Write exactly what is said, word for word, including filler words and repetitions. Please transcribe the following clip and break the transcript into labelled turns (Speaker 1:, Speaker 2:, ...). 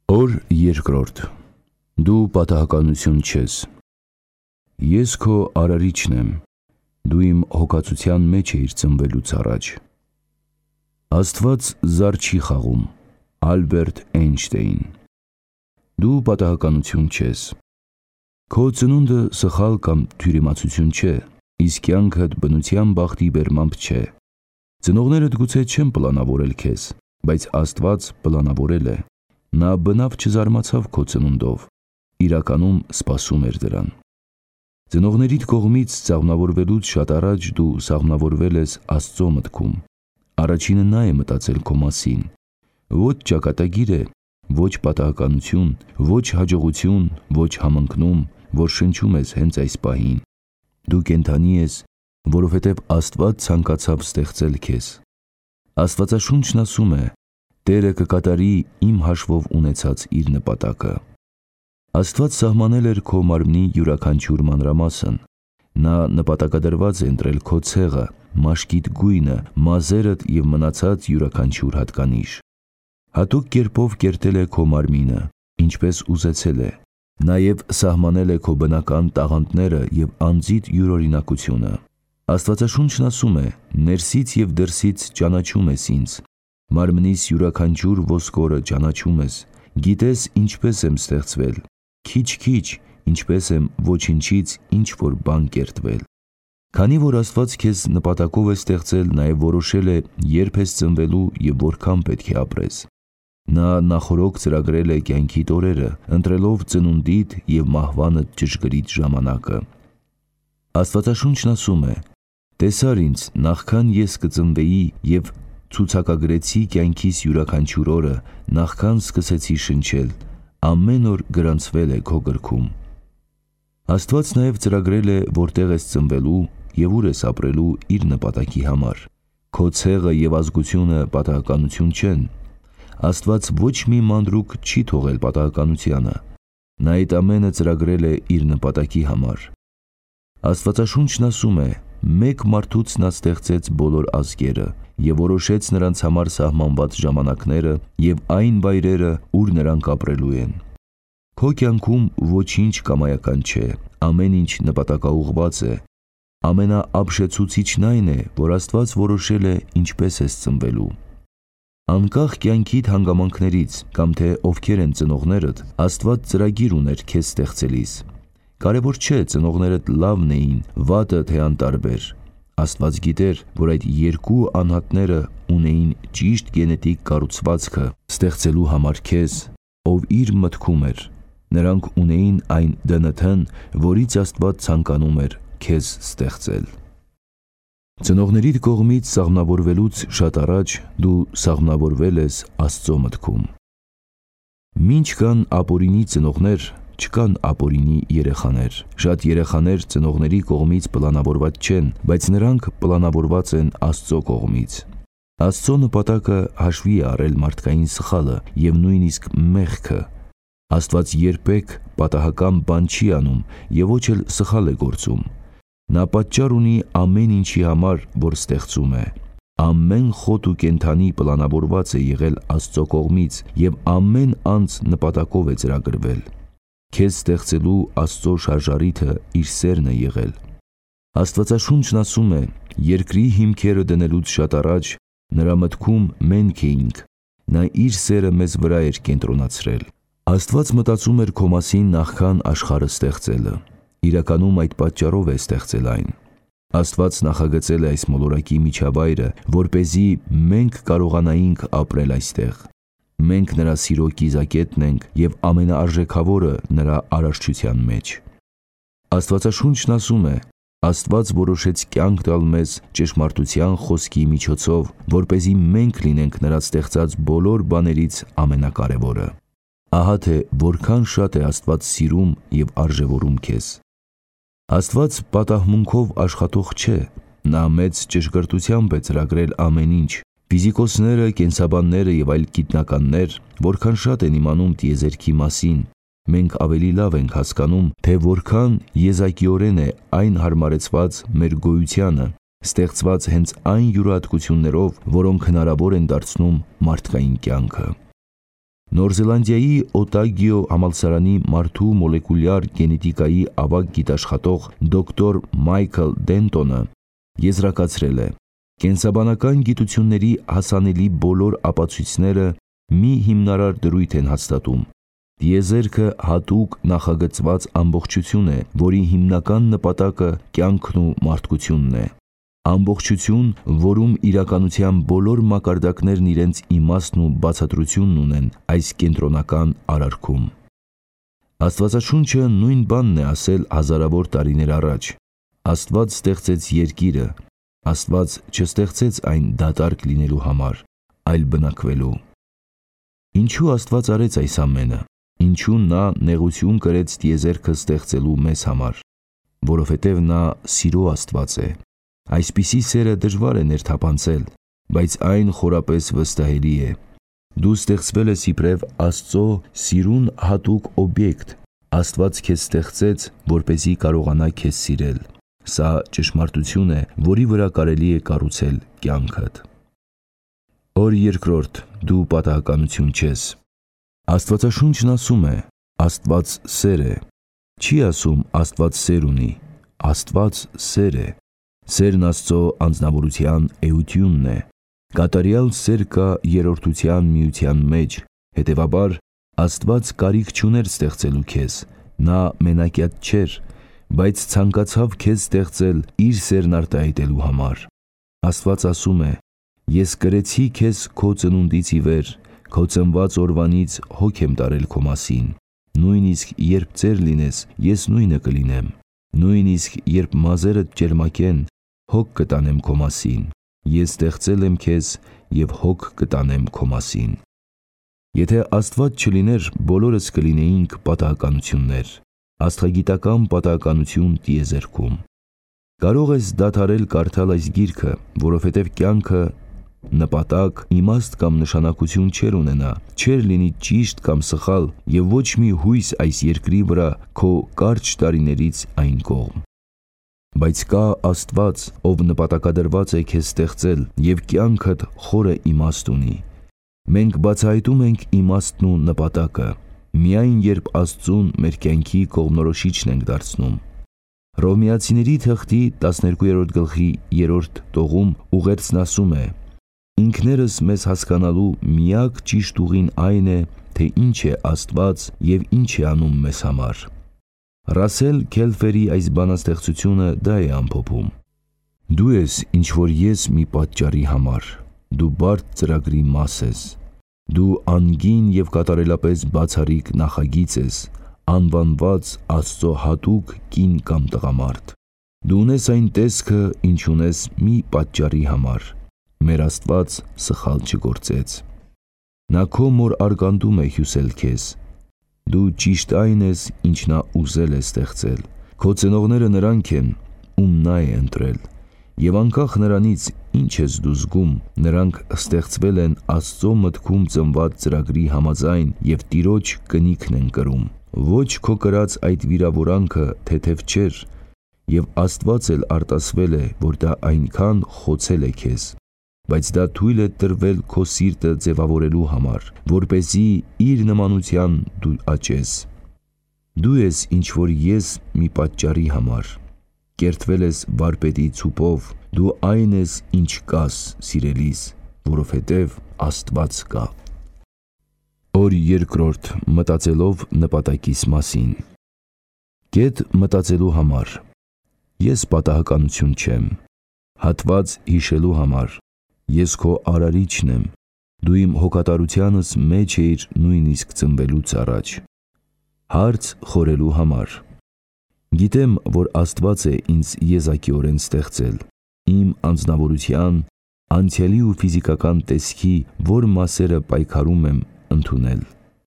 Speaker 1: Օր երկրորդ. Դու պատահականություն չես։ Ես քո արարիչն եմ, դու իմ հոգացության մեջ էիր ծնվելուց առաջ։ Աստված զար չի խաղում, Ալբերտ Էյնշտեյն։ Դու պատահականություն չես։ Քո ծնունդը սխալ կամ թյուրիմացություն չէ, իսկ կյանքդ բնության բախտի բերմամբ չէ։ Ծնողներդ գուցե չեն պլանավորել քեզ, բայց Աստված պլանավորել է։ Նա բնավ չզարմացավ քո ծնունդով, իրականում սպասում էր դրան։ Ծնողներիդ կողմից սաղմնավորվելուց շատ առաջ դու սաղմնավորվել ես Աստծո մտքում։ Առաջինը նա է մտածել քո մասին։ Ոչ ճակատագիր է, ոչ պատահականություն, ոչ հաջողություն, ոչ համընկնում, որ շնչում ես հենց այս պահին։ Դու կենդանի ես, որովհետև Աստված ցանկացավ ստեղծել քեզ։ Աստվածաշունչն ասում է. Տերը կկատարի իմ հաշվով ունեցած իր նպատակը։ Աստված սահմանել էր քո մարմնի յուրաքանչյուր մանրամասն։ Նա նպատակադրված է ընտրել քո ցեղը, մաշկիդ գույնը, մազերդ և մնացած յուրաքանչյուր հատկանիշ։ Հատուկ կերպով կերտել է քո մարմինը, ինչպես ուզեցել է։ Նաև սահմանել է քո բնական տաղանդները և անձիդ յուրօրինակությունը։ Աստվածաշունչն ասում է. ներսից և դրսից ճանաչում ես ինձ։ Մարմնիս յուրաքանչյուր ոսկորը ճանաչում ես, գիտես ինչպես եմ ստեղծվել, քիչ-քիչ, ինչպես եմ ոչնչից ինչ-որ բան կերտվել։ Քանի որ Աստված քեզ նպատակով է ստեղծել, նաև որոշել է երբ ես ծնվելու և որքան պետք է ապրես։ Նա նախօրոք ծրագրել է կյանքիդ օրերը, ընտրելով ծնունդիդ և մահվանդ ճշգրիտ ժամանակը։ Աստվածաշունչն ասում է. տեսար ինձ, նախքան ես կծնվեի և ցուցակագրեցի կյանքիս յուրաքանչյուր օրը, նախքան սկսեցի շնչել, ամեն օր գրանցվել է քո գրքում։ Աստված նաև ծրագրել է որտեղ ես ծնվելու և ուր ես ապրելու իր նպատակի համար։ Քո ցեղը և ազգությունը պատահականություն չեն։ Աստված ոչ մի մանրուք չի թողել պատահականությանը։ Նա այդ ամենը ծրագրել է իր նպատակի համար։ Աստվածաշունչն ասում է. մեկ մարդուց նա ստեղծեց բոլոր ազգերը և որոշեց նրանց համար սահմանված ժամանակները և այն վայրերը, ուր նրանք ապրելու են։ Քո կյանքում ոչինչ կամայական չէ, ամեն ինչ նպատակաուղղված է։ Ամենաապշեցուցիչն այն է, որ Աստված որոշել է ինչպես ես ծնվելու։ Անկախ կյանքիդ հանգամանքներից կամ թե ովքեր են ծնողներդ, Աստված ծրագիր ուներ քեզ ստեղծելիս։ Կարևոր չէ ծնողներդ լավն էին, վատը թե անտարբեր։ Աստված գիտեր, որ այդ երկու անհատները ունեին ճիշտ գենետիկ կառուցվածքը ստեղծելու համար քեզ, ով իր մտքում էր։ Նրանք ունեին այն դե են թն, որից Աստված ցանկանում էր քեզ ստեղծել։ Ծնողներիդ կողմից սաղմնավորվելուց շատ առաջ դու սաղմնավորվել ես Աստծո մտքում։ Մինչ կան ապօրինի ծնողներ, չկան ապօրինի երեխաներ։ Շատ երեխաներ ծնողների կողմից պլանավորված չեն, բայց նրանք պլանավորված են Աստծո կողմից։ Աստծո նպատակը հաշվի է առել մարդկային սխալը և նույնիսկ մեղքը։ Աստված երբեք պատահական բան չի անում և ոչ էլ սխալ է գործում։ Նա պատճառ ունի ամեն ինչի համար, որ ստեղծում է։ Ամեն խոտ ու կենդանի պլանավորված է եղել Աստծո կողմից և ամեն անձ նպատակով է ծրագրվել։ Քեզ ստեղծելու Աստծո շարժառիթը իր սերն է եղել։ Աստվածաշունչն ասում է. երկրի հիմքերը դնելուց շատ առաջ նրա մտքում մենք էինք, նա իր սերը մեզ վրա էր կենտրոնացրել։ Աստված մտածում էր քո մասին նախքան աշխարհը ստեղծելը։ Իրականում այդ պատճառով է ստեղծել այն։ Աստված նախագծել է այս մոլորակի միջավայրը, որպեսզի մենք կարողանայինք ապրել այստեղ։ Մենք նրա սիրո կիզակետն ենք և ամենաարժեքավորը նրա արարչության մեջ։ Աստվածաշունչն ասում է. Աստված որոշեց կյանք տալ մեզ ճշմարտության խոսքի միջոցով, որպեսզի մենք լինենք նրա ստեղծած բոլոր բաներից ամենակարևորը։ Ահա թե որքան շատ է Աստված սիրում և արժևորում քեզ։ Աստված պատահմունքով աշխատող չէ։ Նա մեծ ճշգրտությամբ է ծրագրել ամեն ինչ։ Ֆիզիկոսները, կենսաբանները և այլ գիտնականներ որքան շատ են իմանում տիեզերքի մասին, մենք ավելի լավ ենք հասկանում, թե որքան եզակիորեն է այն հարմարեցված մեր գոյությանը, ստեղծված հենց այն յուրահատկություններով, որոնք հնարավոր են դարձնում մարդկային կյանքը։ Նոր Զելանդիայի Օտագիո համալսարանի մարդու մոլեկուլյար գենետիկայի ավագ գիտաշխատող դոկտոր Մայքլ Դենտոնը եզրակացրել է. կենսաբանական գիտությունների հասանելի բոլոր ապացույցները մի հիմնարար դրույթ են հաստատում. տիեզերքը հատուկ նախագծված ամբողջություն է, որի հիմնական նպատակը կյանքն ու մարդկությունն է։ Ամբողջություն, որում իրականության բոլոր մակարդակներն իրենց իմաստն ու բացատրությունն ունեն այս կենտրոնական արարքում։ Աստվածաշունչը նույն բանն է ասել հազարավոր տարիներ առաջ։ Աստված ստեղծեց երկիրը, Աստված չստեղծեց այն դատարկ լինելու համար, այլ բնակվելու։ Ինչու Աստված արեց այս ամենը։ Ինչու նա նեղություն կրեց տիեզերքը ստեղծելու մեզ համար։ Որովհետև նա սիրո Աստված է։ Այսպիսի սերը դժվար է ներթափանցել, բայց այն խորապես վստահելի է։ Դու ստեղծվել ես իբրև Աստծո սիրուն հատուկ օբյեկտ։ Աստված քեզ ստեղծեց, որպեսզի կարողանա քեզ սիրել։ Սա ճշմարտություն է, որի վրա կարելի է կառուցել կյանքդ։ Օր երկրորդ, դու պատահականություն չես։ Աստվածաշունչն ասում է. Աստված սեր է։ Չի ասում Աստված սեր ունի։ Աստված սեր է։ Սերն Աստծո անձնավորության էությունն է։ Կատարյալ սեր կա երրորդության միության մեջ, հետևաբար Աստված կարիք չուներ ստեղծելու քեզ, նա մենակյաց չէր, բայց ցանկացավ քեզ ստեղծել իր սերն արտահայտելու համար։ Աստված ասում է. ես կրեցի քեզ քո ծնունդից ի վեր, քո ծնված օրվանից հոգ եմ տարել քո մասին։ Նույնիսկ երբ ծեր լինես, ես նույնը կլինեմ։ Նույնիսկ երբ մազերդ ճերմակեն, հոգ կտանեմ քո մասին։ Ես ստեղծել եմ քեզ և հոգ կտանեմ քո մասին։ Եթե Աստված չլիներ, բոլորս կլինեինք պատահականություններ, աստղագիտական պատահականություն տիեզերքում։ Կարող ես դադարել կարդալ այս գիրքը, որովհետև կյանքը նպատակ, իմաստ կամ նշանակություն չէր ունենա, չէր լինի ճիշտ կամ սխալ և ոչ մի հույս այս երկրի վրա քո կարճ տարիներից այն կողմ։ Բայց կա Աստված, ով նպատակադրված է քեզ ստեղծել և կյանքդ խորը իմաստ ունի։ Մենք բացահայտում ենք իմաստն ու նպատակը, միայն երբ Աստծուն մեր կյանքի կողմնորոշիչն ենք դարձնում։ Հռոմեացիների թղթի տասներկուերորդ գլխի երրորդ տողում ուղերձն ասում է. ինքներս մեզ հասկանալու միակ ճիշտ ուղին այն է, թե ինչ է Աստված և ինչ է անում մեզ համար։ Ռասել Քելֆերի այս բանաստեղծությունը դա է ամփոփում. Դու ես ինչ-որ ես մի պատճառի համար, դու բարդ ծրագրի մաս ես, դու անգին և կատարելապես բացառիկ նախագիծ ես, անվանված Աստծո հատուկ կին կամ տղամարդ։ Դու ունես այն տեսքը, ինչ ունես մի պատճառի համար։ Մեր Աստված սխալ չգործեց։ Նա քո մոր արգանդում է հյուսել քեզ։ Դու ճիշտ այն ես, ինչ նա ուզել է ստեղծել։ Քո ծնողները նրանք են, ում նա է ընտրել։ Եվ անկախ նրանից, ինչ ես դու զգում, նրանք ստեղծվել են Աստծո մտքում ծնված ծրագրի համաձայն և Տիրոջ կնիքն են կրում։ Ոչ քո կրած այդ վիրավորանքը թեթև չէր, և Աստված էլ արտասվել է, որ դա այնքան խոցել է քեզ, բայց դա թույլ է տրվել քո սիրտը ձևավորելու համար, որպեսզի իր նմանության դու աճես։ Դու ես ինչ-որ ես մի պատճառի համար։ Կերտվել ես վարպետի ցուպով, դու այն ես, ինչ կաս, սիրելիս, որովհետև Աստված կա։ Օր երկրորդ, մտածելով նպատակիս մասին։ Կետ մտածելու համար։ Ես պատահականություն չեմ։ Հատված հիշելու համար։ Ես քո արարիչն եմ։ Դու իմ հոգատարությանս մեջ էիր նույնիսկ ծնվելուց առաջ։ Հարց խորելու համար։ Գիտեմ, որ Աստված է ինձ եզակիորեն ստեղծել, իմ անձնավորության, անցյալի ու ֆիզիկական տեսքի, որ մասերը պայքարում եմ ընդունել։